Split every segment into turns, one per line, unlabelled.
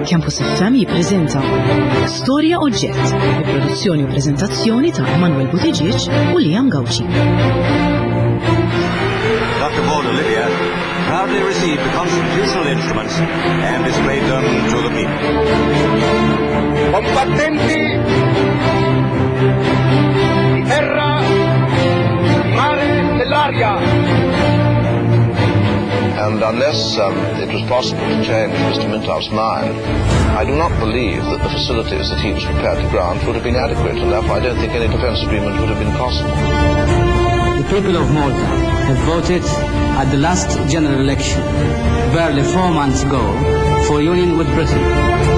Campus FM jippreżenta Storja Oġġett, bi produzzjoni u preżentazzjoni ta' Manuel Buttigieg u Liam Gauci.
Dr. Paul Olivia proudly received the constitutional instruments and displayed them to the people.
Combattenti di terra, di mare, dell'aria.
And unless um, it was possible to change Mr. Mintoff's mind, I do not believe that the facilities that he was prepared to grant would have been adequate, and therefore I don't think any defence agreement would have been possible.
The people of Malta have voted at the last general election, barely four months ago, for union with Britain.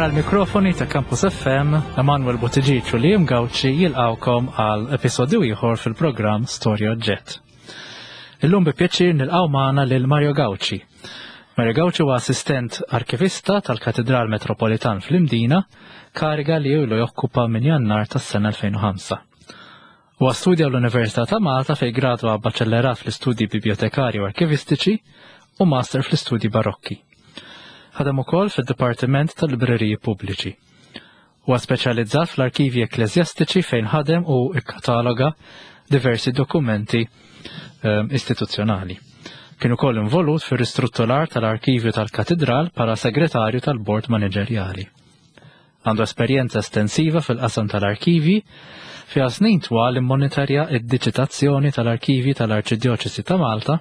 Wara l-mikrofoni ta' Campus FM, Emanuel Buttigieg u Liam Gauci jilqawkom għal episodju ieħor fil-programm Storja Oġġett. Illum bi pjaċir nilqgħu magħna lil Mario Gauci. Mario Gauci huwa assistent arkivista tal-Katedral Metropolitan fl-Imdina, kariga li ilu jokkupa minn Jannar tas-sena 2005. Huwa studja l-Università ta' Malta fejn gradwa baċellerat fl-istudji bibliotekarji u arkivistiċi u master fl-istudji barokki. Ħadem ukoll fid-Dipartiment tal-Libreriji Pubbliċi. Huwa speċjalizzat fl-arkivji ekkleżjastiċi fejn ħadem u ikkataloga diversi dokumenti ehm, istituzzjonali. Kien ukoll involut fir-ristrutturar tal-arkivju tal-Katidral bħala segretarju tal-Bord Maniġerjali. Għandu esperjenza estensiva fil-qasam tal-arkivji, fiha snin twal immonitorja d-diġitazzjoni tal-arkivji tal-Arċidjoċesi ta' Malta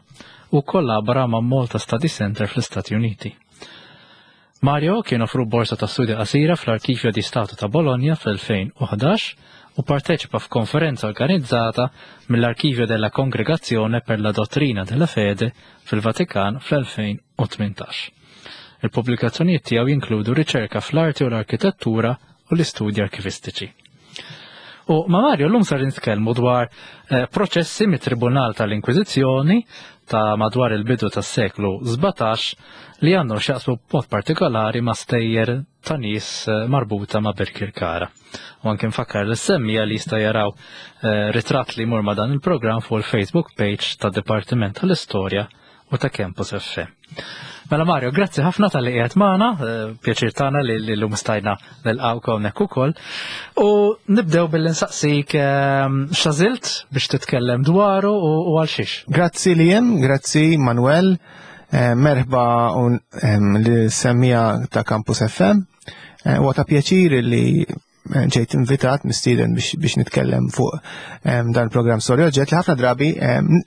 u kkollabora ma' Malta Study Centre fl-Istati Uniti. Mario kien offru borsa ta' studja qasira fl-Arkivjo di Stato ta' Bologna fl-2011 u parteċipa f'konferenza organizzata mill-Arkivjo della Congregazione per la Dottrina della Fede fil-Vatikan fl-2018. Il-pubblikazzjonijiet tiegħu jinkludu riċerka fl-arti u l-arkitettura u l-istudji arkivistiċi. U ma' Mario llum sar nitkellmu dwar eh, proċessi mit-Tribunal tal-Inkwiżizzjoni ta' madwar il-bidu tas-seklu 17 li għandhom x'jaqsmu b'mod partikolari ma' stejjer ta' nies eh, marbuta ma' Birkirkara. U anke nfakkar l semmija li jista' jaraw eh, ritratt li jmur ma' dan il-programm fuq il-Facebook page tad Dipartiment tal-Istorja u ta' Campus FM. Mela Mario, grazzi ħafna tal-li qiegħed magħna, eh, pjaċir tagħna li llum stajna nilqgħu hawnhekk ukoll. U nibdew billi nsaqsik ehm, x'għażilt biex titkellem dwaru u għal xiex.
Grazzi li jem, grazzi Manuel, eh, merħba ehm, li semmija ta' Campus FM. Eh, huwa ta' pjaċir li ġejt invitat mistieden biex, biex nitkellem fuq um, dan il-programm Storja Oġġett li ħafna drabi um,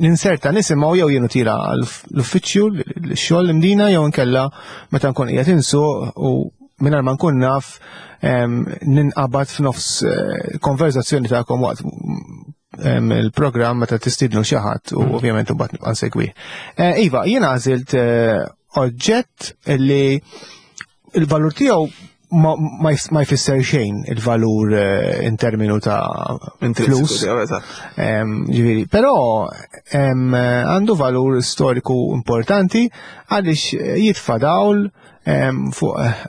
ninserta nisimgħu jew jienu tira l-uffiċċju l-xogħol l-imdina jew inkella meta nkun qiegħed insuq u mingħajr ma nkun naf um, ninqabad f'nofs eh, konverzazzjoni tagħkom waqt il-programm meta tistidnu xi ħadd u mm. ovvjament imbagħad nibqa' nsegwi. Eh, iva, jiena għażilt eh, oġġett li il-valur tiegħu ma jfisser xejn il-valur eh, in terminu ta' flus. Ġifieri, però għandu valur storiku importanti għaliex jitfa' dawl fuq eh,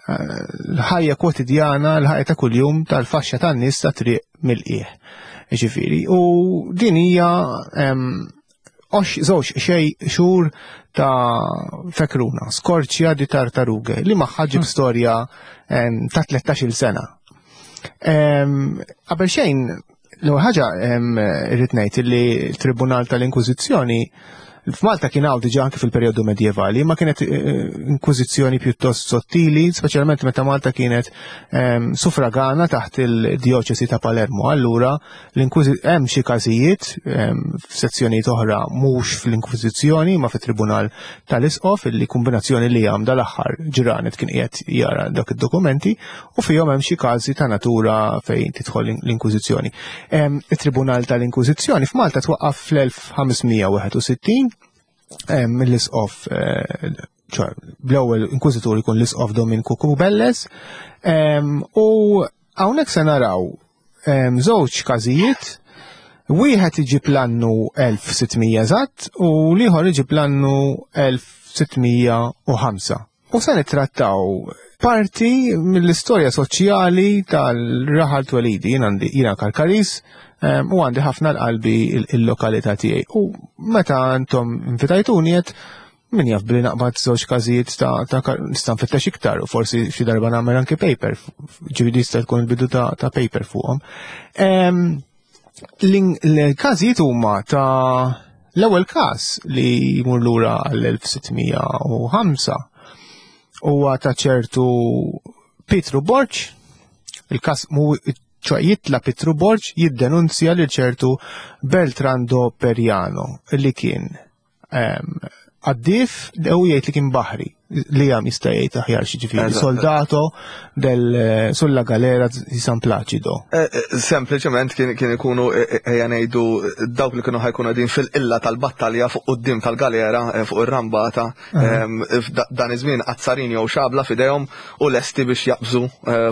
l-ħajja kwotidjana, l-ħajja ta' kuljum tal-faxxa tan-nies ta' triq mill-qiegħ. Ġifieri, u din hija Żewġ xej xhur ta' fekruna, skorċja di tartaruge, li magħha ġib hmm. storja ta' 13-il sena. Qabel xejn, l-ewwel ħaġa irrid ngħid li l-Tribunal tal-Inkwiżizzjoni F'Malta kien hawn diġà anke fil-perjodu medjevali, ma kienet eh, inkwiżizzjoni pjuttost sottili, speċjalment meta Malta kienet suffragana taħt il-djoċesi ta' Palermo. Allura hemm xi każijiet f'sezzjonijiet oħra mhux fl-Inkwiżizzjoni ma fit-Tribunal tal-Isqof illi kombinazzjoni li għam dal-aħħar ġranet kien qiegħed jara dak id-dokumenti u fihom hemm xi każi ta' natura fejn tidħol l-Inkwiżizzjoni. It-Tribunal tal-Inkwiżizzjoni f'Malta twaqqaf fl-1561 mill-Isqof eh, bl-ewwel inkwiżitur ikun l-Isqof Dominku Kubelles u hawnhekk se naraw żewġ każijiet, wieħed iġib l-annu 1600 eżatt u l-ieħor iġib l-annu 1605. U se nittrattaw parti mill-istorja soċjali tal-raħal twelidi. Jien għandi jiena Karkaris u għandi ħafna l-qalbi il-lokalità tiegħi. U meta intom invitajtuni qed min jaf billi naqbad żewġ każijiet ta' ta' nista' nfittex iktar u forsi xi darba nagħmel anki paper, ġifieri jista' tkun il-bidu ta', ta paper fuqhom. L-każijiet huma ta' l-ewwel każ li jmur lura għall-1605 huwa ta' ċertu Pietru Borg, il-każ mu ċoħ jitla Pietru Borg jiddenunzja lil ċertu Beltrando Periano li kien Għaddif, u jgħid li kien baħri, li għam jista' jgħid aħjar xi ġifieri, soldato del eh, sulla galera di San Placido.
Eh, eh, sempliċement kien ikunu ejja ngħidu dawk li kienu ħajkunu qegħdin fil-qilla tal-battalja fuq quddiem tal-galera fuq ir-rambata dan iż-żmien azzarin jew xabla f'idejhom u lesti biex jaqbżu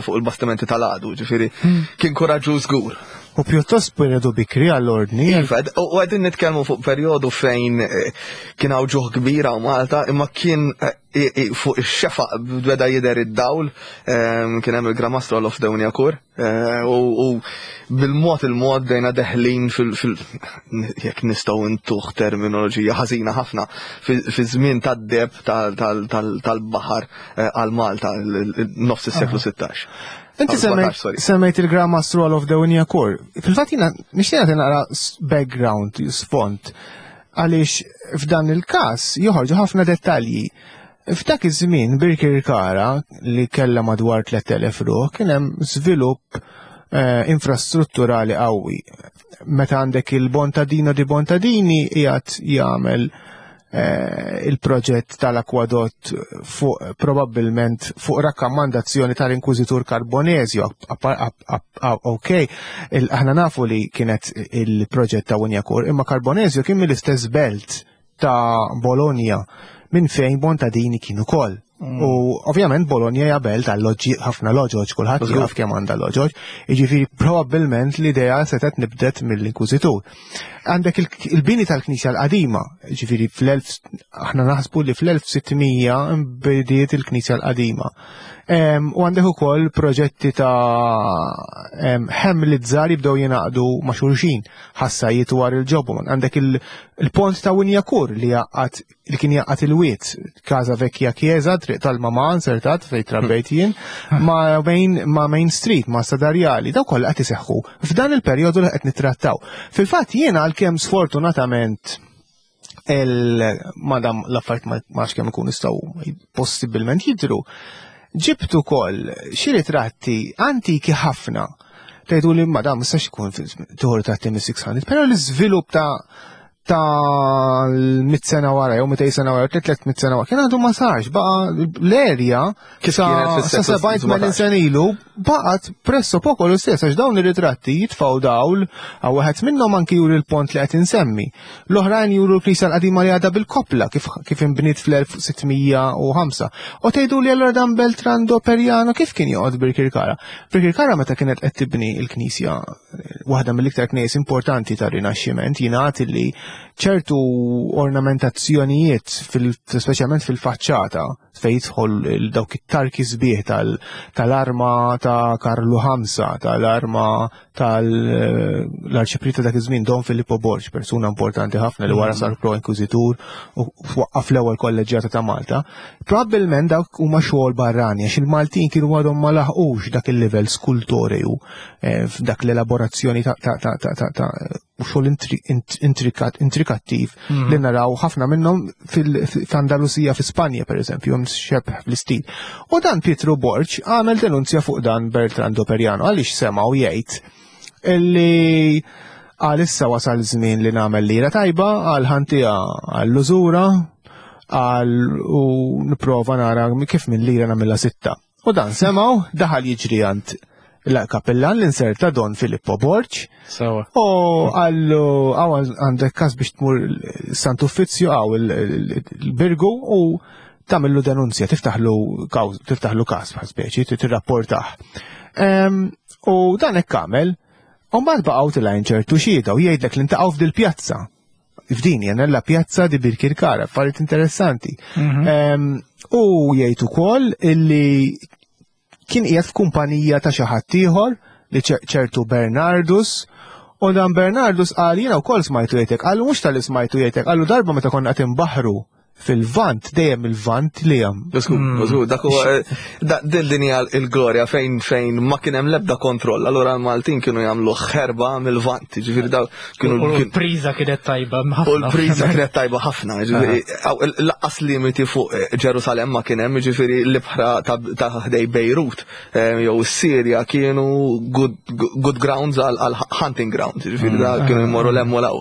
fuq il-bastimenti tal-għadu, ġifieri hmm. kien kuraġġu żgur.
U pjuttost periodu bikri għall-ordni.
Iva, u għedin nitkellmu fuq periodu fejn eh, kien hawn ġuħ kbira u Malta, imma kien eh, fuq ix-xefaq beda jidher id-dawl, ehm, kien hemm il-Gramastro of Dewnjakur, eh, u bil-mod il-mod bdejna deħlin fil jekk nistgħu ntuħ terminoloġija ħażina ħafna, fi żmien tad-deb tal-baħar għal Malta nofs is-seklu 16.
Inti semmejt il-Grand Master of the Winjakur. Fil-fatt jiena nixtieq nagħti naqra background, sfond, għaliex f'dan il-każ joħorġu ħafna dettalji. F'dak iż-żmien Birkirkara li kellha madwar 3000 ruħ kien hemm żvilupp eh, infrastrutturali qawwi. Meta għandek il-Bontadino di Bontadini qiegħed jagħmel Eh, il-proġett tal-akwadott fuq probabbilment fuq rakkomandazzjoni tal-Inkwiżitur Carbonezio. Ok, aħna nafu li kienet il-proġett ta' Winjakur, imma Carbonezio kien mill-istess belt ta' Bologna minn fejn Bontadini kienu kol. Mm. U ovvjament Bologna hija belt għal ħafna loġoġ, kulħadd jaf kemm għandha loġoġ, jiġifieri probabbilment l-idea setgħet nibdet mill-Inkwiżitur. Għandek il-bini tal-Knisja l-qadima, ġifiri fl-1000, aħna naħsbu li fl-1600 bdiet il-Knisja l-qadima. U għandek ukoll proġetti ta' ħemli żgħar jibdew jingħaqdu ma' xulxin, ħassajiet war il-ġobu. Għandek il-pont ta' Winjakur li jaqgħad li kien jaqgħad il-wied, Casa Vecchia Chiesa, triq tal-Mama insertat fejn trabbejt jien, ma' Main, ma' Main Street, ma' Sadarjali, daw kollha qed iseħħu f'dan il-perjodu li qed nittrattaw. Fil-fatt jiena għalkemm sfortunatament il-madam l-affarijiet ma nafx kemm ikun jistgħu possibilment jidhru, ġibt ukoll xi ritratti antiki ħafna. Tgħidu li madam mistax ikun tieħu ritratti mis-600, però l-iżvilupp ta' tal-mit sena wara, jew 200 sena wara, 300 sena wara, kien għadu ma sarx, baqa l-erja sa 70 sena ilu, baqgħet presso poco l-istess, għax dawn ir-ritratti jitfgħu dawl, għaw wieħed minnhom anki juri l-pont li qed insemmi. L-oħrajn juru l-knisja l-qadima li għadha bil-koppla kif, kif inbniet fl-1605. U tgħidu li allura dan Beltrando Periano kif kien joqgħod Birkirkara? Birkirkara meta kienet qed tibni l-knisja waħda mill-iktar knejjes importanti tar-Rinaxximent jingħad li ċertu ornamentazzjonijiet speċjalment fil-faċċata fejn jidħol dawk it-tarki sbieħ tal-arma ta' Karlu Ħamsa, tal-arma tal-arċipriet ta' dak iż-żmien Don Filippo Borg, persuna importanti ħafna li wara mm. sar pro-inkwiżitur u waqqaf l-ewwel kolleġġjata ta' Malta. Probabbilment dawk huma xogħol barrani għax il-Maltin kienu għadhom ma laħqux dak il-livell skultoreju Eh, f'dak l-elaborazzjoni ta' ta' ta' ta' ta' ta' xogħol intrikat intrikattiv mhm. li naraw ħafna minnhom fil-Andalusija fi Spanja pereżempju hemm xebh fl-istil. U dan Pietro Borg għamel denunzja fuq dan Bertrando Periano għaliex semgħu jgħid illi għal issa wasal żmien li nagħmel lira tajba għal ħantija għall-użura għal u nipprova nara kif minn lira nagħmilha sitta. U dan semgħu daħal jiġri għand l-kapellan l-inserta Don Filippo Borg.
Sawa.
U għallu għaw għandek kas biex tmur Sant Uffizzju għaw il-Birgu u tamillu denunzja, tiftaħlu tiftaħlu kas bħal speċi, tirrapportah. U dan hekk għamel, u mbagħad baqgħu tilgħin ċertu xhieda u jgħidlek li ntaqgħu f'dil-pjazza. F'din hija nella pjazza di Birkirkara, affarijiet interessanti. Mhm. U jgħid ukoll illi kien qiegħed f'kumpanija ta' xi ħadd ieħor li ċertu Bernardus u dan Bernardus qal jiena wkoll smajtu jgħidlek, qallu mhux tal-li smajtu jgħidlek, qallu darba meta konna qed inbaħħru fil-vant, dejjem il-vant li hemm.
Żgur, żgur, dak huwa din din hija l-glorja fejn fejn ma kien hemm l-ebda kontroll. Allura l-Maltin kienu jagħmlu ħerba mill-vant, ġifieri daw kienu
U l-priża kienet tajba ħafna.
U l-priża kienet tajba ħafna, ġifieri laqqas limiti fuq Ġerusalemm ma kien hemm, ġifieri l-ibħra ta' ħdej Bejrut jew is-Sirja kienu good grounds għal hunting grounds, ġifieri da kienu jmorru l-hemm u l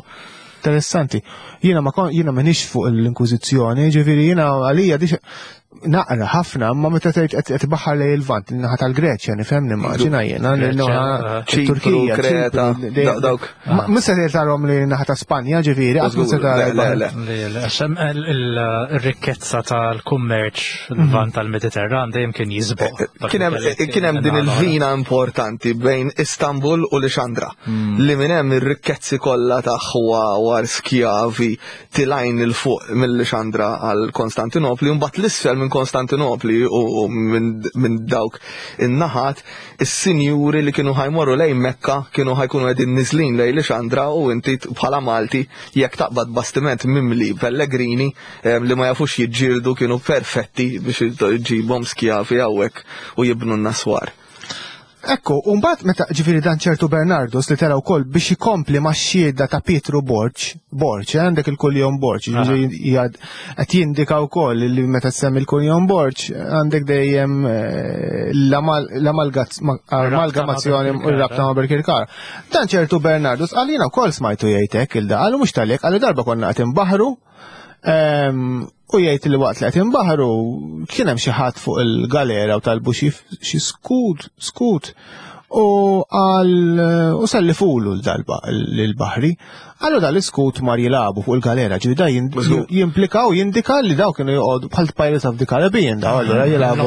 Interessanti. Jiena ma jiena m'iniex fuq l-Inkwiżizzjoni, ġifieri jiena għalija dix naqra ħafna, ma meta tgħid qed tbaħħar lejn il-Lvant, in-naħa tal-Greċja, nifhem nimmaġina jiena, naħa Turkija,
Kreta, dawk.
Mhux se tarhom li naħa ta' Spanja, ġifieri, qatt mhux se
tara. Le, le, għax ir-rikkezza tal-kummerċ l-Lvant tal-Mediterran dejjem kien jisboq.
Kien hemm din il-vina importanti bejn Istanbul u Lixandra. Li minn hemm ir-rikkezzi kollha ta' ħwawar, skjavi, tilgħin 'il fuq mill-Lixandra għal Konstantinopli, u mbagħad 'l isfel minn Konstantinopli u minn dawk in-naħat, is-sinjuri li kienu ħa jmorru lejn Mekka kienu ħa jkunu qegħdin niżlin lejn Lixandra u inti bħala Malti jekk taqbad bastiment mimli pellegrini li ma jafux jiġġieldu kienu perfetti biex iġibhom skjavi hawnhekk u jibnu n-naswar.
Ekku, u mbagħad meta ġifieri dan ċertu Bernardus li tela wkoll biex ikompli max-xhieda ta' Pietru Borg, Borg, eh, għandek il-kuljom Borg, ġifieri qed jindika wkoll li meta semmi l-kuljom Borg għandek dejjem eh, l-amalgamazzjoni u r-rabta ma' Birkirkara. Dan ċertu Bernardus qal jiena wkoll smajtu jgħid hekk il-da, qalu mhux tal-hekk, qalu darba konna qed inbaħħru U jgħid li waqt li qed inbaħru kien hemm xi ħadd fuq il-galera u talbu xi skud, skud. U għal u sellifulu l-darba l-baħri. Għallu dal-iskut mar jilabu fuq il-galera, ġifieri da jimplika u jindika li daw kienu joqogħdu bħal Pirates of the Caribbean daw allura jilabu.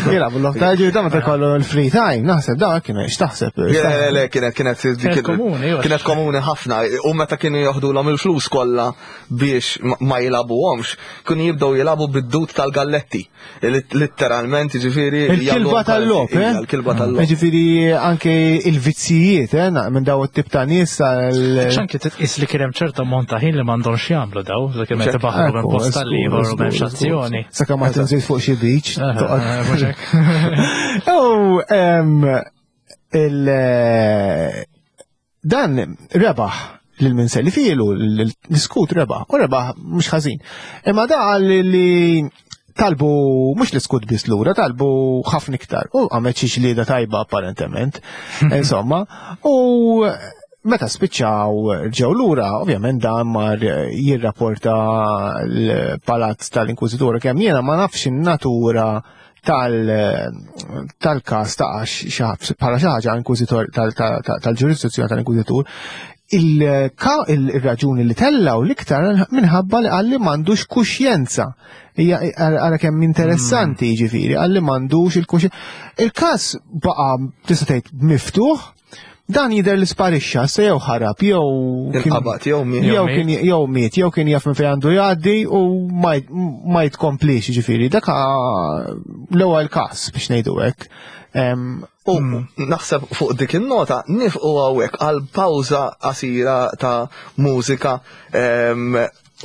Jilabu l-lofta, ġifieri da meta jkollu l-free time, naħseb daw kienu x'taħseb.
Le, le, kienet kienet kienet komuni ħafna u meta kienu joħdulhom il-flus kollha biex ma jilagħbuhomx, kienu jibdew jilagħbu bid-dud tal-galletti. Litteralment, ġifieri.
Il-kilba tal-logħob, eh?
Il-kilba tal-logħob.
Ġifieri anke il-vizzijiet, eh, minn daw it-tip ta' nies tal.
Anke titqis li kien hemm ċerta ammont ta' ħin li m'għandhomx jagħmlu daw, li kien qed ibaħħru minn post tal-ieħor u m'hemmx azzjoni.
Sakemm ma tinżil fuq xi beach. U il Dan rebaħ lil min se li filu l-iskut rebaħ, u rebaħ mhux ħażin. Imma da qal li talbu mhux l-iskut biss lura, talbu ħafna iktar. U għamet xi ġlieda tajba apparentement. Insomma, u meta spiċċaw ġew lura, ovvjament dan mar jirrapporta l-palazz tal-Inkwiżitur kemm jiena ma nafx in-natura tal-każ ta' għax bħala xi ħaġa inkwiżitor tal-ġurisdizzjoni tal-inkwiżitur, il-raġuni li tellaw l-iktar minħabba li qalli m'għandux kuxjenza. Hija ara kemm interessanti hmm. jiġifieri, qalli m'għandux il-kuxjenza. Il-każ baqa' tista' tgħid miftuħ, Dan jidher li sparixxa, se jew ħarab, jew
Inqabad, jew miet.
Jew kien jew miet, jew kien jaf minn fejn għandu jgħaddi u ma jitkomplix, jiġifieri. Dak l-ewwel każ biex ngħidu hekk.
U hmm. naħseb fuq dik in-nota nifqu hawnhekk għal pawża qasira ta' mużika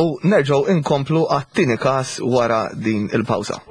u nerġgħu inkomplu għat-tieni każ wara din il-pawża.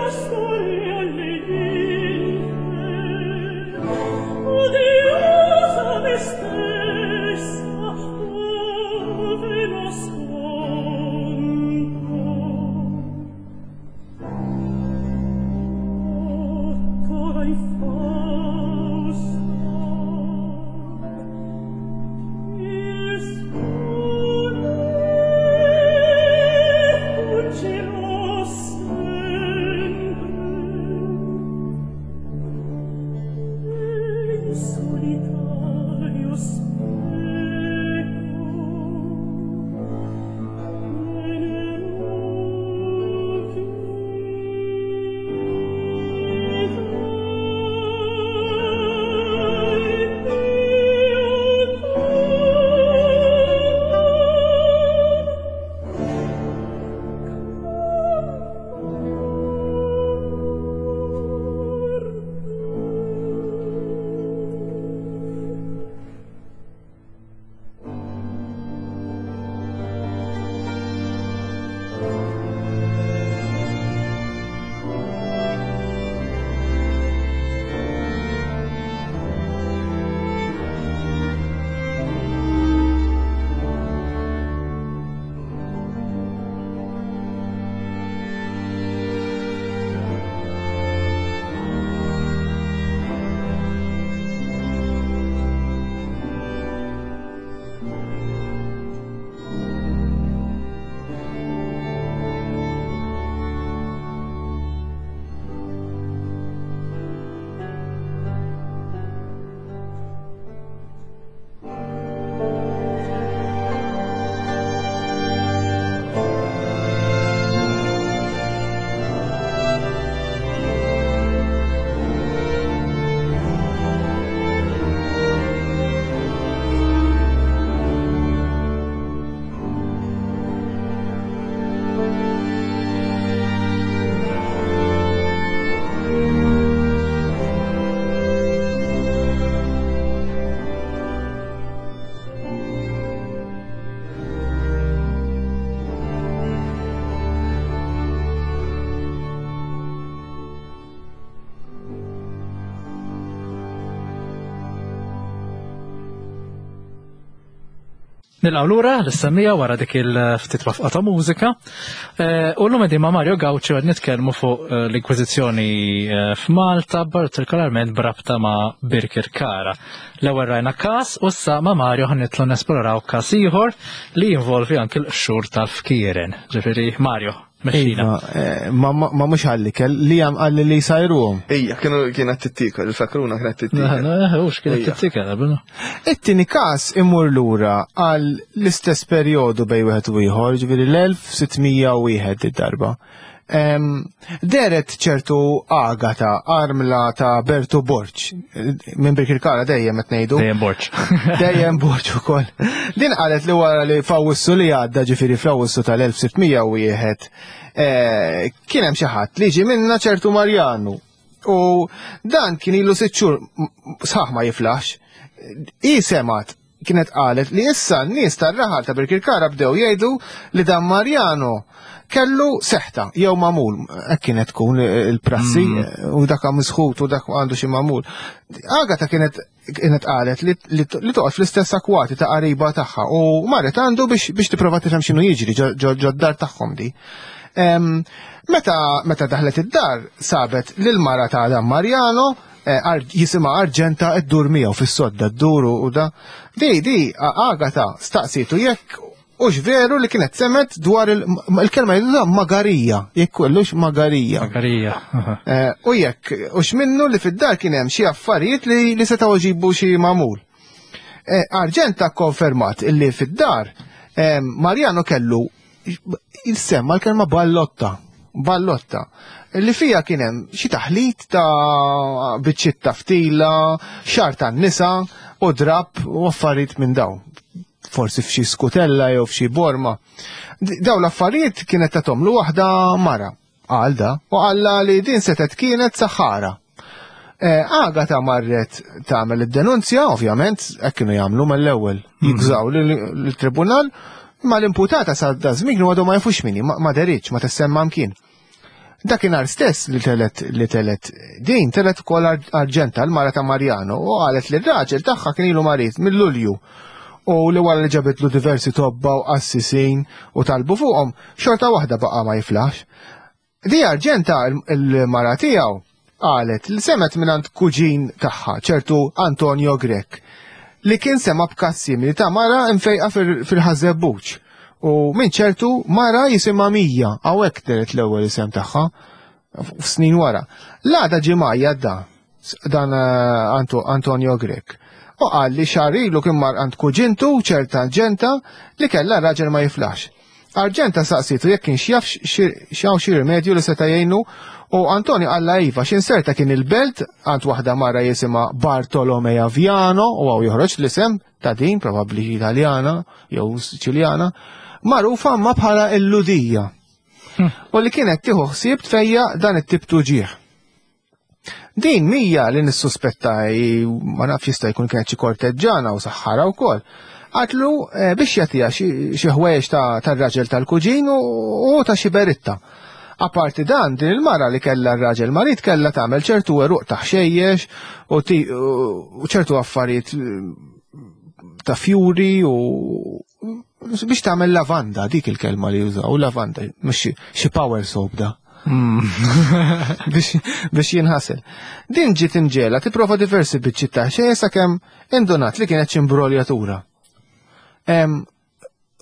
pastori alle ninfe, odiosa me stessa, ove nascondo. Ancora infausta, il sole fuggerò sempre e in solitario speco me ne muovi il mio cor.
Nilqgħu lura l-semmija wara dik il-ftit wafqa ta' mużika. U llum qegħdin ma' Mario Gauci qed nitkellmu fuq l-Inkwiżizzjoni f'Malta, partikolarment b'rabta ma' Birkirkara. L-ewwel rajna każ u issa ma' Mario ħa nitlu nesploraw każ ieħor li jinvolvi anki l-qxur tal-fkieren. Ġifieri Mario, mexxina.
Iva, ma mhux għall-ikel, li hemm qalli li jsajruhom.
Ejja, kienu kienet tittikel, il-fekruna kienet tittikel.
Hux kienet tittikel, qabel.
It-tieni każ imur lura għal l-istess perjodu bejn wieħed u ieħor, ġifieri l-1601 id-darba. Deret ċertu Agata, armla ta' Bertu Borg, minn Birkirkara dejjem qed ngħidu.
Dejjem Borg.
Dejjem Borg ukoll. Din qalet li wara li f'Awwissu li għadda, ġifieri fl-Awwissu tal-1601, kien hemm xi ħadd li ġie minna ċertu Marjanu. U dan kien ilu 6 xhur sħaħ ma jiflaħx. Hi semgħet kienet qalet li issa n-nies tar-raħal ta' Birkirkara bdew jgħidu li dan Marjano kellu seħta jew magħmul, hekk kienet tkun il-prassi, u dak misħut u dak għandu xi magħmul. Agata kienet qalet li toqgħod fl-istess akwati ta' qariba tagħha u marret għandu biex tipprova tifhem x'inhu jiġri ġo d-dar tagħhom di. Meta daħlet id-dar sabet lil mara ta' dan Marjano jisimha Arġenta ddur miegħu fis-sodda ddur u da. Di, Agata staqsitu jekk hux veru li kienet semet dwar il-kelma jgħidu magarija, jekk kellux magarija.
Magarija.
U jekk hux minnu li fid-dar kien hemm xi affarijiet li setgħu jġibu xi magħmul. Arġenta kkonfermat illi fid-dar Marjano kellu jissemma l-kelma ballotta, ballotta, li fija kien hemm xi taħlit ta' biċċiet ta' ftila, xagħar tan-nisa u drapp u affarijiet minn dawn. Forsi f'xi skutella jew f'xi borma. Dawn l-affarijiet kienet tagħtomlu waħda mara, qal da, u qalla li din setgħet kienet saħħara. Agata marret tagħmel id-denunzja, ovvjament, hekk kienu jagħmlu mill-ewwel, jigżaw lill-tribunal, ma l-imputata sa da żmien kienu għadhom ma jafux min hi, ma deritx, ma tissemma mkien. Dakinhar stess li telet li telet din telet ukoll Arġenta l-mara ta' Marjano u qalet li r-raġel tagħha kien ilu marid mill-Lulju u li wara li ġabitlu diversi tobba u qassisin u talbu fuqhom xorta waħda baqa' ma jiflaħx. Di Arġenta l-mara tiegħu qalet li semgħet mingħand kuġin tagħha, ċertu Antonio Grech, li kien sema' b'każ simili ta' mara mfejqa fil-Ħaż-Żebbuġ u minn ċertu mara jisimha Mija, hawnhekk dehret l-ewwel isem tagħha f'snin wara. L-għada ġie mgħajjat da, dan eh, Antonio Grech. U qal li xahar ilu kien mar għand kuġintu ċerta Arġenta li kellha raġel ma jiflaħx. Arġenta saqsitu jekk kienx jaf x'hawn xi rimedju li seta' jgħinu u Antonio qalla iva x'inserta kien il-belt għand waħda mara jisimha Bartolomea Viano u hawn joħroġ l-isem ta' din probabbli Italjana jew Siċiljana magħrufa ma bħala il-Ludija. U li kienet tieħu ħsieb tfejja dan it-tip tuġieħ. Din mija li nissuspetta ma nafx jista' jkun kienet xi korteġġana u saħħara wkoll. Għatlu eh, biex jagħtiha xi ħwejjeġ tar-raġel tal-kuġin u ta' xi beritta. Aparti dan, din il-mara li kellha r-raġel marid kellha tagħmel ċertu eruq ta' ħxejjex u ċertu affarijiet eh, ta' fjuri u biex tagħmel lavanda, dik il-kelma li jużaw, lavanda, mhux xi power soap da. Hmm. biex jinħasel. Din ġiet imġela tipprova diversi biċċiet ta' xejn sakemm indunat li kienet xi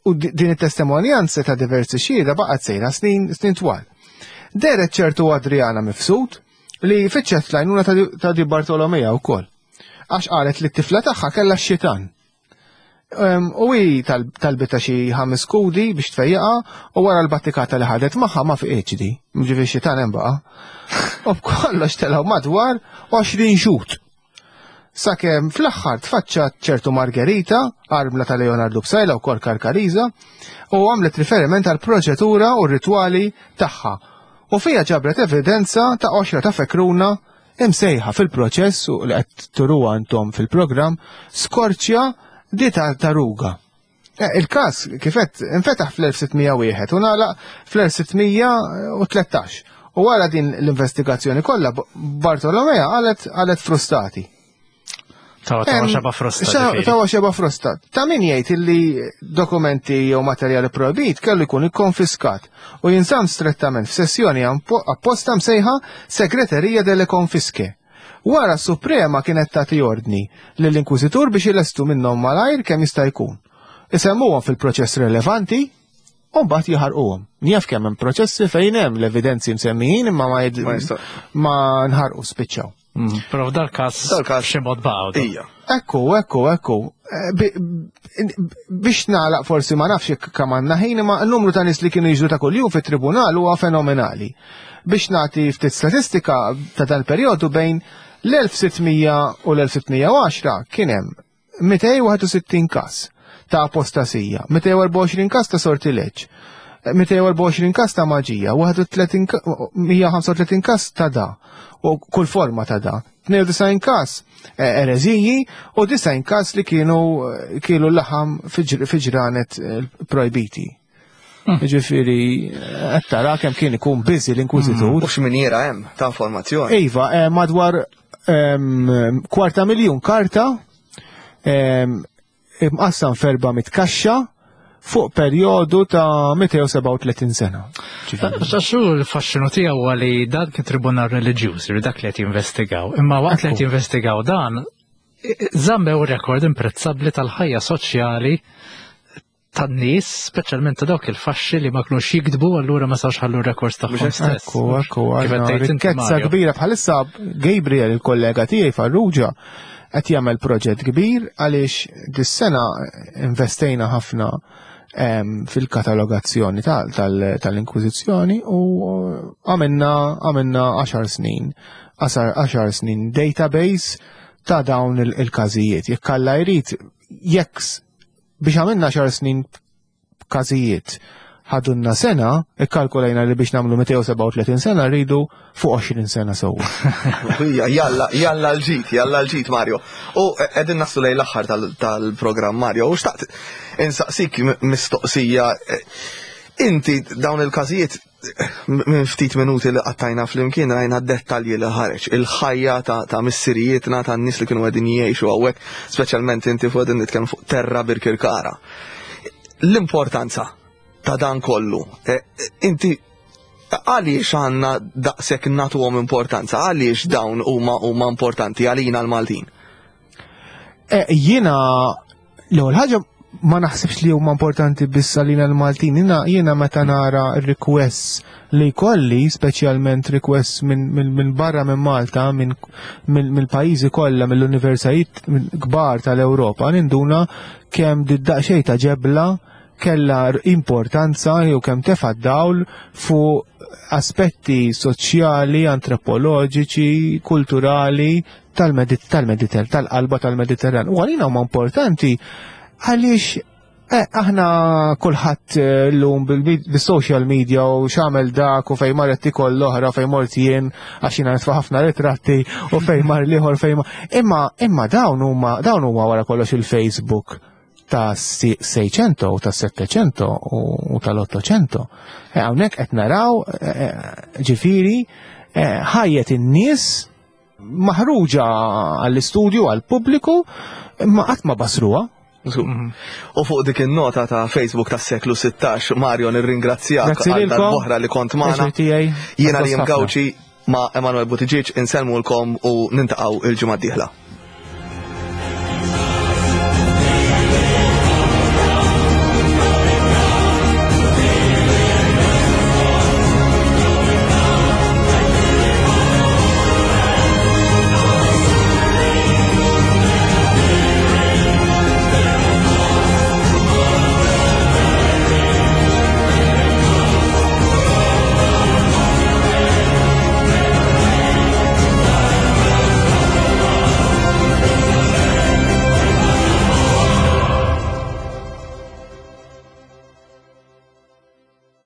U din it-testimonjanza ta' diversi xhieda baqgħet sejra snin snin twal. Deret ċertu Adriana Mifsud li fittxet l-għajnuna ta' Di Bartolomea wkoll. Għax qalet li t-tifla tagħha kellha x-xitan. U hi talbita xi ħames kudi biex tfejjaqa u wara l-battikata li ħadet magħha ma fiqitx di. Ġifieri xitan hemm baqa'. U b'kollox telgħu madwar 20 xut. Sakemm fl-aħħar tfaċċat ċertu Margherita, armla ta' Leonardo Psaila u kol Karkariza, u għamlet riferiment għal proċedura u ritwali tagħha. U fija ġabret evidenza ta' qoxra ta' fekruna imsejħa fil-proċess u li qed turuha intom fil-programm skorċja di tartaruga. Eh, il-każ kif qed infetaħ fl-1601 u nagħlaq fl-1613. U wara din l-investigazzjoni kollha Bartolomea qalet qalet frustati.
Tawa tawa xeba frosta.
Tawa xeba frosta. Ta' min jgħid illi dokumenti jew materjali projbit kellu jkun ikkonfiskat u jinżamm strettament f'sessjoni apposta msejħa Segreterija delle Konfiske. Wara s-Suprema kienet tagħti ordni lill-Inkwiżitur biex ilestu minnhom malajr kemm jista' jkun. Isemmuhom fil-proċess relevanti u mbagħad jaħarquhom. Njaf kemm hemm proċessi fejn hemm l-evidenzi msemmijin imma ma ma nħarqu spiċċaw.
Mm, però f'dal każ dal-każ xi mod baqgħu.
Ija.
Ekku, ekku, ekku. Eh, biex nagħlaq forsi ma nafx jekk kemm għandna ħin imma n-numru ta' nies li kienu jiġru ta' kuljum fit-tribunal huwa fenomenali. Biex nagħti ftit statistika ta' dan perjodu bejn l-1600 u l-1610 kien hemm 261 każ ta' apostasija, 224 każ ta' sortileġġ, 224 każ ta' maġija, 135 każ ta' da, u kull forma ta' da, 92 każ eh, ereżiji u 90 każ li kienu eh, kielu laħam fi ġranet eh, projbiti. Hmm. Ġifiri, qed tara kemm kien ikun busy l-inkwiżitur.
Hmm. U x'miniera hemm ta' informazzjoni.
Iva, madwar kwarta miljun karta imqassam f'erba' kaxxa fuq perjodu ta' 237 sena.
Xaxu l-fasċinu tiegħu huwa li dan kien tribunal reliġjuż, li dak li qed jinvestigaw. Imma waqt li qed jinvestigaw dan, żammew rekord imprezzabbli tal-ħajja soċjali tan-nies, speċjalment ta' dawk il-faxxi li ma kinux jiktbu allura ma sawx ħallu rekords tagħhom stess.
Ekku, ekku, rikkezza kbira bħalissa Gabriel il-kollega tiegħi Farrugia qed jagħmel proġett kbir għaliex dis-sena investejna ħafna fil-katalogazzjoni tal-Inkwiżizzjoni u għamilna għamilna 10 snin, 10 snin database ta' dawn il-każijiet. Jekk Alla jrid, jekk biex għamilna xar snin każijiet ħadunna sena, ikkalkulajna li biex namlu 237 sena rridu fuq 20 sena sewwa.
Jalla, jalla l-ġit, jalla l-ġit, Mario. U qegħdin naslu lejn l-aħħar tal-programm Mario, u xtaqt insaqsik mistoqsija. Inti dawn il-każijiet minn ftit minuti li qattajna flimkien rajna dettalji li ħareġ, il-ħajja ta', ta missirijietna ta' nies li kienu qegħdin jgħixu hawnhekk, speċjalment inti fuq qegħdin nitkellmu fuq terra Birkirkara. L-importanza ta' dan kollu, e, inti għaliex għandna daqshekk nagħtuhom importanza, għaliex dawn huma huma importanti għalina l-Maltin?
E, jiena L-ewwel ħaġa ma naħsibx li huma importanti biss għalina l-Maltin. Jiena jiena meta nara r-requests li jkolli, speċjalment requests minn min, min barra minn Malta, minn mill-pajjiżi kollha, mill-universitajiet kbar tal-Ewropa, ninduna kemm did-daqsxejn ta' ġebla kellha importanza jew kemm tefa' dawl fuq aspetti soċjali, antropoloġiċi, kulturali tal-Mediter, tal-qalba tal-Mediterran. U għalina huma importanti għaliex eh, aħna kulħadd eh, llum bil-social media u x'għamel dak u fejn marret tikol l-oħra fejn mort jien għax jiena nitfa' ħafna ritratti u fejn mar l-ieħor fejn Imma imma dawn huma dawn huma wara kollox il-Facebook ta' 600 u ta' 700 u tal-800. Eh, hawnhekk qed naraw ġifieri ħajjet in-nies maħruġa għall-istudju għall-pubbliku imma qatt ma basruha.
Mhm. U fuq dik in-nota ta' Facebook tas-seklu 16, Mario nirringrazzjak għal darb'oħra li kont magħna. Jiena li Gawċi ma' Emanuel Buttigieg insellmulkom u nintaqgħu il-ġimgħa d-dieħla.